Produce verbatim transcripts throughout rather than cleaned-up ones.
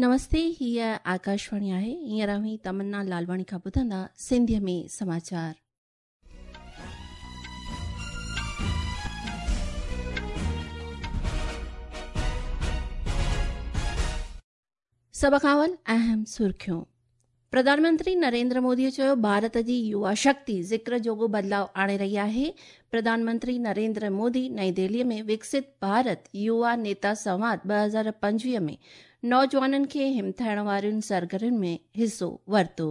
नमस्ते, हीअ आकाशवाणी आहे। हींअर अव्हीं तमन्ना लालवाणी खां ॿुधंदा सिंधीअ में समाचार। सभ खां अवल अहम सुर्खियूं। प्रधानमंत्री नरेंद्र मोदीअ चयो, भारत जी युवा शक्ति ज़िक्र जोगो बदिलाव आणे रही आहे। प्रधानमंत्री नरेंद्र मोदी नई दिल्लीअ में विकसित भारत युवा नेता संवाद ॿ हज़ार पंजवीह में नौजवाननि खे हिमथाइण वारियुनि सरगर्मियुनि में हिसो वरितो।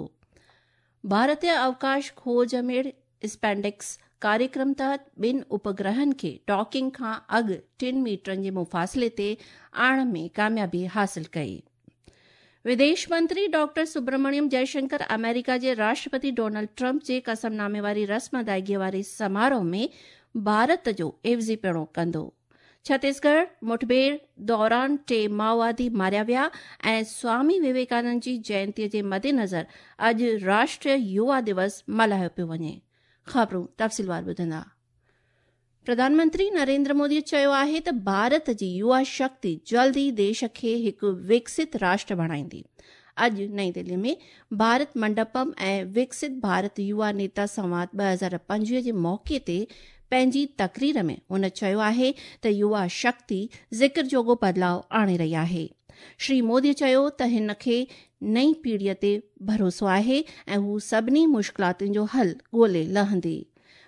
भारतीय अवकाश खोज मेड़ स्पेंडेक्स कार्यक्रम तहत ॿिनि उपग्रहनि खे डॉकिंग खां अॻु टिनि मीटरनि जे मुफ़ासिले ते आणण में कामयाबी हासिल कई। विदेश मंत्री डॉक्टर सुब्रमण्यम जयशंकर अमेरिका जे राष्ट्रपति डोनाल्ड ट्रंप जे कसमनामे वारी रस्म अदायगीअ वारे समारोह में भारत जो एवज़ी पिणो कंदो। छत्तीसगढ़ मुठभेड़ दौरान टे माओवादी मारिया विया ऐं स्वामी विवेकानंद जी जयंतीअ जे मद्देनज़र अॼु राष्ट्रीय युवा दिवस मल्हायो पियो वञे। ख़बरूं तफ़सीलवार ॿुधंदा। प्रधानमंत्री नरेंद्र मोदी चयो आहे त भारत जी युवा शक्ति जल्द ई देश खे हिकु विकसित राष्ट्र बणाईंदी। अॼु नई दिल्ली में भारत मंडपम ऐं विकसित भारत युवा नेता संवाद ॿ हज़ार पंजवीह जे मौक़े ते पंहिंजी तकरीर में हुन चयो आहे त युवा शक्ति ज़िक्र जोगो बदिलाव आणे रही आहे। श्री मोदी चयो त हिन खे नई पीढ़ीअ ते भरोसो आहे ऐं हू सभिनी मुश्किलातुनि जो हल ॻोल्हे लहंदी।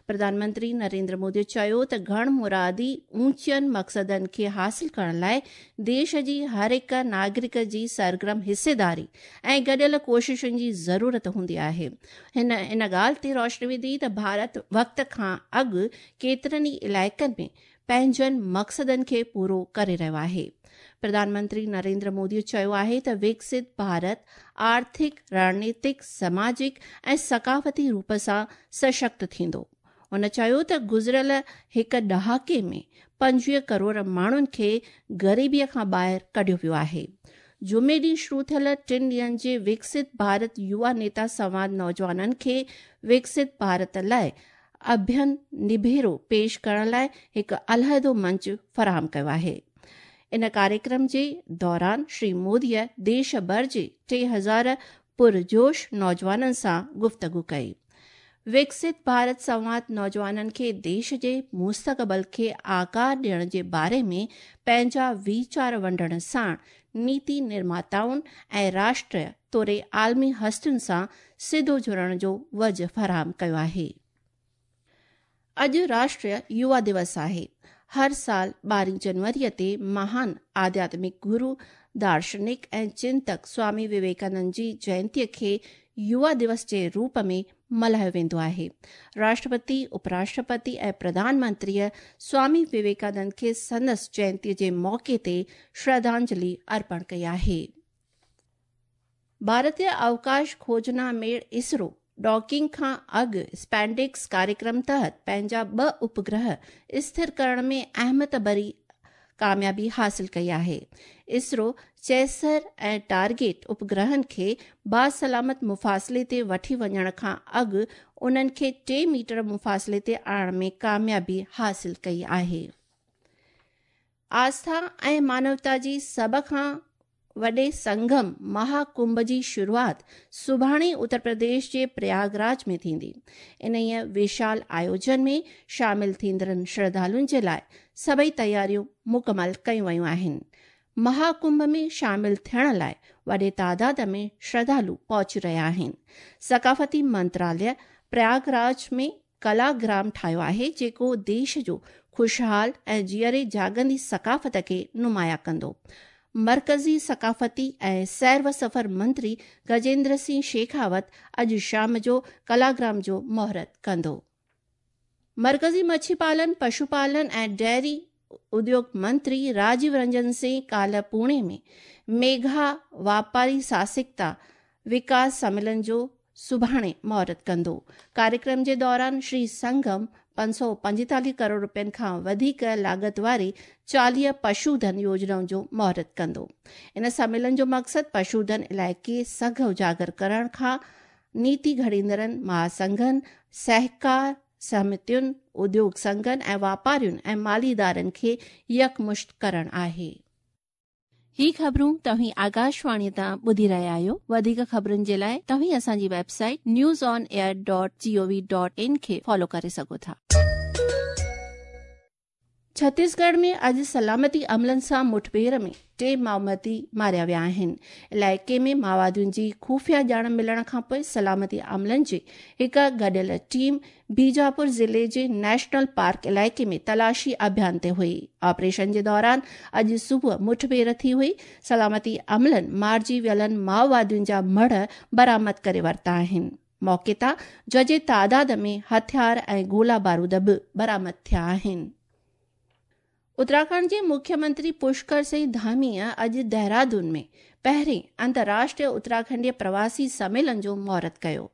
प्रधानमंत्री नरेंद्र मोदी चयो त घण मुरादी ऊंचनि मक़सदनि खे हासिल करण लाइ देश जी हर हिकु नागरिक जी सरगर्म हिस्सेदारी ऐं गॾियल कोशिशुनि जी ज़रूरत हूंदी आहे। हिन इन ॻाल्हि ते रोशनी विधी त भारत वक़्त खां अॻु केतिरनि ई इलाइक़नि में पंहिंजनि मक़सदनि खे पूरो करे रहियो आहे। प्रधानमंत्री नरेंद्र मोदी चयो आहे त विकसित भारत आर्थिक, रणनीतिक, समाजिक ऐं सकाफ़ती रूप सां सशक्त थींदो। हुन चयो त गुज़िरियल हिकु ॾहाके में पंजवीह करोड़ माण्हुनि खे ग़रीबीअ खां ॿाहिरि कढियो वियो आहे। जुमे ॾींहुं शुरू थियल टिनि ॾींहंनि जे विकसित भारत युवा नेता संवाद नौजवाननि खे विकसित भारत लाइ अभियन निभेरो पेश करण लाइ हिकु अलाहिदो मंच फराहम कयो आहे। इन कार्यक्रम जे दौरान श्री मोदीअ देश भर जे टे हज़ार पुरजोश नौजवाननि सां गुफ़्तगू कई। विकसित भारत संवाद नौजवाननि खे देश जे मुस्तक़बिल खे आकार ॾियण जे बारे में पंहिंजा वीचार वंडण साण नीति निर्माताउनि ऐं राष्ट्रीय तोड़े आलमी हस्तियुनि सां सिधो जुड़ण जो वज फराहम कयो आहे। अॼु राष्ट्रीय युवा दिवस आहे। हर साल ॿारहीं जनवरीअ ते महान आध्यात्मिक गुरू, दार्शनिक ऐं चिंतक स्वामी विवेकानंद जी जयंतीअ खे युवा दिवस जे रूप में मल्हायो वेंदो आहे। राष्ट्रपति, उपराष्ट्रपति ऐं प्रधानमंत्रीअ स्वामी विवेकानंद खे संदसि जयंतीअ जे मौक़े ते श्रद्धांजलि अर्पण कई आहे। भारतीय अवकाश खोजना मेड़ इसरो डॉकिंग खां अॻु स्पेंडेक्स कार्यक्रम तहत पंहिंजा ॿ उपग्रह स्थिर करण में अहमियत भरी कामयाबी हासिल कई आहे। इसरो चेसर ऐं टारगेट उपग्रहनि खे बासलामत मुफ़ासिले ते वठी वञण खां अॻु उन्हनि खे टे मीटर मुफ़ासिले ते आणण में कामयाबी हासिल कई आहे। आस्था ऐं मानवता जी सभ खां वॾे संगम महाकुंभ जी शुरूआत सुभाणे उत्तर प्रदेश जे प्रयागराज में थींदी। इन्हीअ विशाल आयोजन में शामिल थींदड़नि श्रद्धालुनि जे लाइ सभई तयारियूं मुकमल कयूं वयूं आहिनि। महाकुंभ में शामिल थियण लाइ वॾे तादाद में श्रद्धालु पहुची रहिया आहिनि। सकाफ़ती मंत्रालय प्रयागराज में कलाग्राम ठाहियो आहे, जेको देश जो ख़ुशहाल ऐं जीअरे जागंदी सकाफ़त खे नुमायां कंदो। मरकज़ी सकाफ़ती ऐं सैर व सफ़र मंत्री गजेंद्र सिंह शेखावत अॼु शाम जो कलाग्राम जो मुहूर्त कंदो। मरकज़ी मच्छी पालन, पशुपालन ऐं डेयरी उद्योग मंत्री राजीव रंजन सिंह काल्ह पुणे में मेघा वापारी साहसिकता विकास सम्मेलन जो सुभाणे मुहूर्त कंदो। कार्यक्रम जे दौरान श्री संगम पंज सौ पंजेतालीह करोड़ रुपयनि खां वधीक लागत वारी चालीह पशुधन योजनाउनि जो मुहूर्त कंदो। इन सम्मेलन जो मक़सदु पशुधन इलाइक़े सघ उजागर करण खां नीति घड़ींदड़नि महासंघनि, सहकार समितियुनि, उद्योग संघनि ऐं वापारियुनि ऐं माली इदारनि खे यकमुश्त करणु आहे। ही ख़बरूं तव्हीं आकाशवाणी तां ॿुधी रहिया आहियो। वधीक ख़बरुनि जे लाइ तव्हीं असांजी website news on air dot G O V dot in खे फॉलो करे सघो था। छत्तीसगढ़ में अॼु सलामती अमलनि सां मुठभेड़ में टे माओवादी मारिया विया आहिनि। इलाइक़े में माओवादियुनि जी ख़ुफ़िया ॼाण मिलण खां पोइ सलामती अमलनि जी हिकु गॾियल टीम बीजापुर ज़िले जे नेशनल पार्क इलाइक़े में तलाशी अभियान ते हुई। ऑपरेशन जे दौरान अॼु सुबुह मुठभेड़ थी हुई। सलामती अमलनि मारिजी वियलनि माओवादियुनि जा मढ़ बरामद करे वरिता आहिनि। मौक़े तां जजे तादाद में हथियार ऐं गोला बारूद बि बरामद थिया आहिनि। उत्तराखंड जे मुख्यमंत्री पुष्कर सिंह धामी अॼु देहरादून में पहिरीं अंतर्राष्ट्रीय उत्तराखंडीय प्रवासी सम्मेलन जो मुहूर्त कयो।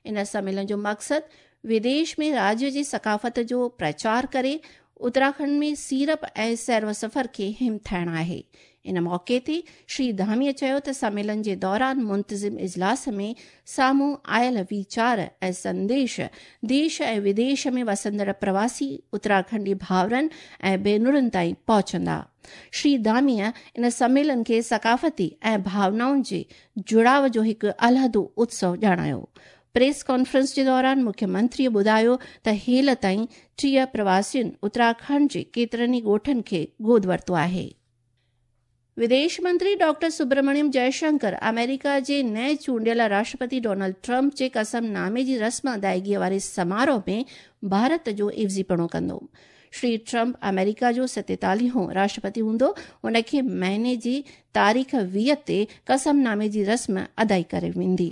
इन सम्मेलन जो मक़सदु विदेश में राज्य जी सकाफ़त जो प्रचार करे उत्तराखंड में सीरप ऐं सैर सफ़र खे हिमथाइण आहे। इन मौक़े ते श्री धामीअ चयो त सम्मेलन जे दौरान मुंतज़िम इजलास में साम्हूं आयल वीचार ऐं संदेश देश ऐं विदेश में वसंदड़ प्रवासी उत्तराखंडी भाउरनि ऐं भेनरुनि ताईं पहुचंदा। श्री धामीअ इन सम्मेलन खे सकाफ़ती ऐं भावनाउनि जे जुड़ाव जो हिकु अलहदो उत्सव ॼाणायो। प्रेस कॉन्फ्रेंस जे दौरान मुख्यमंत्रीअ ॿुधायो त हेल ताईं टीह प्रवासियुनि उत्तराखंड जे केतिरनि ई ॻोठनि खे गोद वरितो आहे। विदेश मंत्री डॉक्टर सुब्रमण्यम जयशंकर अमेरिका जे नए चूंडियल राष्ट्रपति डोनाल्ड ट्रंप जे कसमनामे जी रस्म अदायगीअ वारे समारोह में भारत जो इवज़ीपणो कंदो। श्री ट्रंप अमेरिका जो सतेतालीहों राष्ट्रपति हूंदो। हुनखे महीने जी तारीख़ वीह ते कसमनामे जी रस्म अदाई करे वेंदी।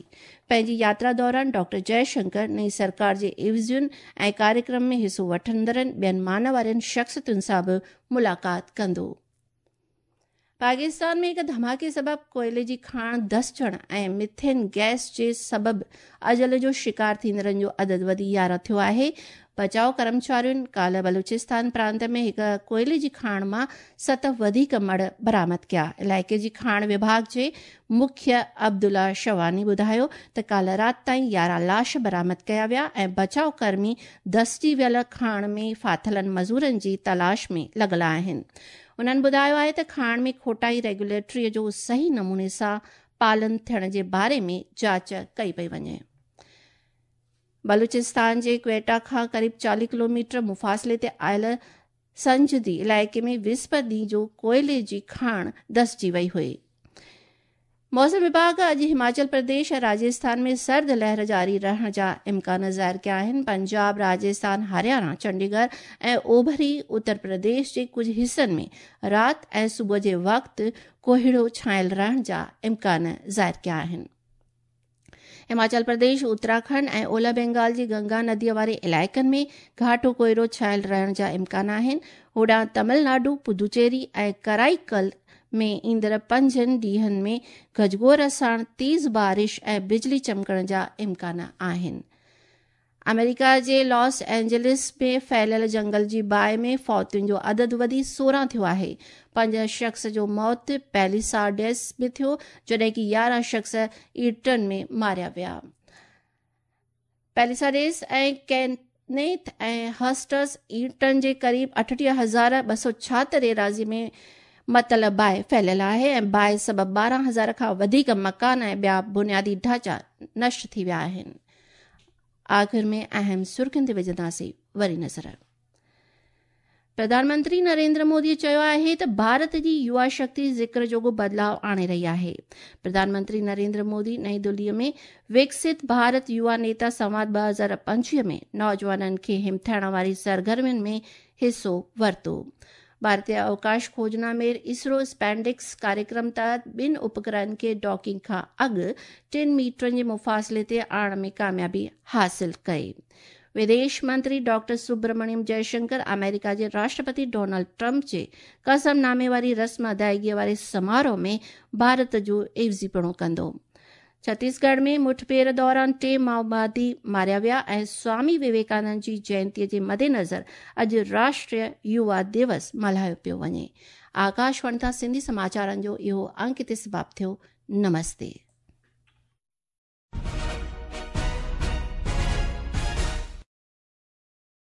पंहिंजी यात्रा दौरान डॉक्टर जयशंकर नई सरकार जे इवज़ियुनि ऐं कार्यक्रम में हिसो वठंदड़नि ॿियनि मान वारनि शख़्सियतुनि सां बि मुलाक़ात कंदो। पाकिस्तान में हिकु धमाके सबबि कोयले जी खाण धसिजण ऐं मिथेन गैस जे सबबि अजल जो शिकार थींदड़नि जो अदद वधी यारहं थियो आहे। बचाव कर्मचारियुनि काल्ह बलूचिस्तान प्रांत में हिकु कोयले जी खाण मां सत वधीक मड़ बरामद कया। इलाइक़े जी खाण विभाग जे मुख्य अब्दुल्ला शवानी ॿुधायो त काल्ह राति ताईं यारहं लाश बरामद कया विया ऐं बचाव कर्मी धसिजी वियल खाण में फाथिलनि मज़ूरनि जी तलाश में लॻल आहिनि। उन्हनि ॿुधायो आहे त खाण में खोटाई रेगुलेटरी जो सही नमूने सां पालन थियण जे बारे में जांच कई पई वञे। बलूचिस्तान जे क्वेटा खां क़रीब चालीह किलोमीटर मुफ़ासिले ते आयल संजदी इलाइक़े में विस्पत ॾींहुं जो कोयले जी खाण धसिजी वई हुई। मौसम विभाग अॼु हिमाचल प्रदेश ऐं राजस्थान में सर्द लहर जारी रहण जा इम्कान ज़ाहिर कया आहिनि। पंजाब, राजस्थान, हरियाणा, चंडीगढ़ ऐं ओभरी उत्तर प्रदेश जे कुझु हिसनि में राति ऐं सुबुह जे वक़्तु कोहिड़ो छायल रहण जा इम्कान ज़ाहिर कया आहिनि। हिमाचल प्रदेश, उत्तराखंड ऐं ओलह बंगाल जी गंगा नदीअ वारे इलाइक़नि में घाटो कोहिरो छायल रहण जा इम्कान आहिनि। होॾां तमिलनाडु, पुदुचेरी ऐं कराईकल में ईंदड़ पंजनि ॾींहनि में गजगोर साण तेज़ बारिश ऐं बिजली चमकण जा इम्कान आहिनि। अमेरिका जे लॉस एंजलिस में फैलियल जंगल जी बाहि में फौतियुनि जो अदद वधी सोरहं थियो आहे। पंज शख़्स जो मौत पैलिसाडेस में थियो, जॾहिं की यारहं शख़्स ईटन में मारिया विया। पैलिसाडेस ऐं कैनेथ ऐं हस्टस ईटन जे क़रीब अठटीह हज़ार ॿ सौ छाहतरि एराज़ी में मतल बाहि फैलियल आहे ऐं बाहि सबबि ॿारहं हज़ार खां वधीक मकान ऐं ॿिया बुनियादी ढांचा नष्ट थी विया आहिनि। आख़िर में अहम सुर्खियुनि ते विझंदासीं वरी नज़र। प्रधानमंत्री नरेंद्र मोदी चयो आहे त भारत जी युवा शक्ति ज़िक्र जोगो बदिलाव आणे रही आहे। प्रधानमंत्री नरेंद्र मोदी नई दिल्लीअ में विकसित भारत युवा नेता संवाद ॿ हज़ार पंजवीह में नौजवाननि खे हिमथाइण वारी सरगर्मियुनि में हिसो वरितो। भारतीय अवकाश खोजना में इसरो स्पैंडिक्स कार्यक्रम तहत ॿिनि उपग्रहनि खे डॉकिंग खां अॻु टिनि मीटरनि जे मुफ़ासिले ते आणण में कामयाबी हासिल कई। विदेश मंत्री डॉक्टर सुब्रमण्यम जयशंकर अमेरिका जे राष्ट्रपति डोनाल्ड ट्रंप जे कसमनामे वारी रस्म अदायगीअ वारे समारोह में भारत जो इवज़ीपणो कंदो। छत्तीसगढ़ में मुठभेड़ दौरान टे माओवादी मारिया विया ऐं स्वामी विवेकानंद जी जयंतीअ जे मदेनज़र अॼु राष्ट्रीय युवा दिवस मल्हायो पियो वञे। आकाशवाणी तां सिंधी समाचारनि जो इहो अंक हिते समाप्त थियो। नमस्ते।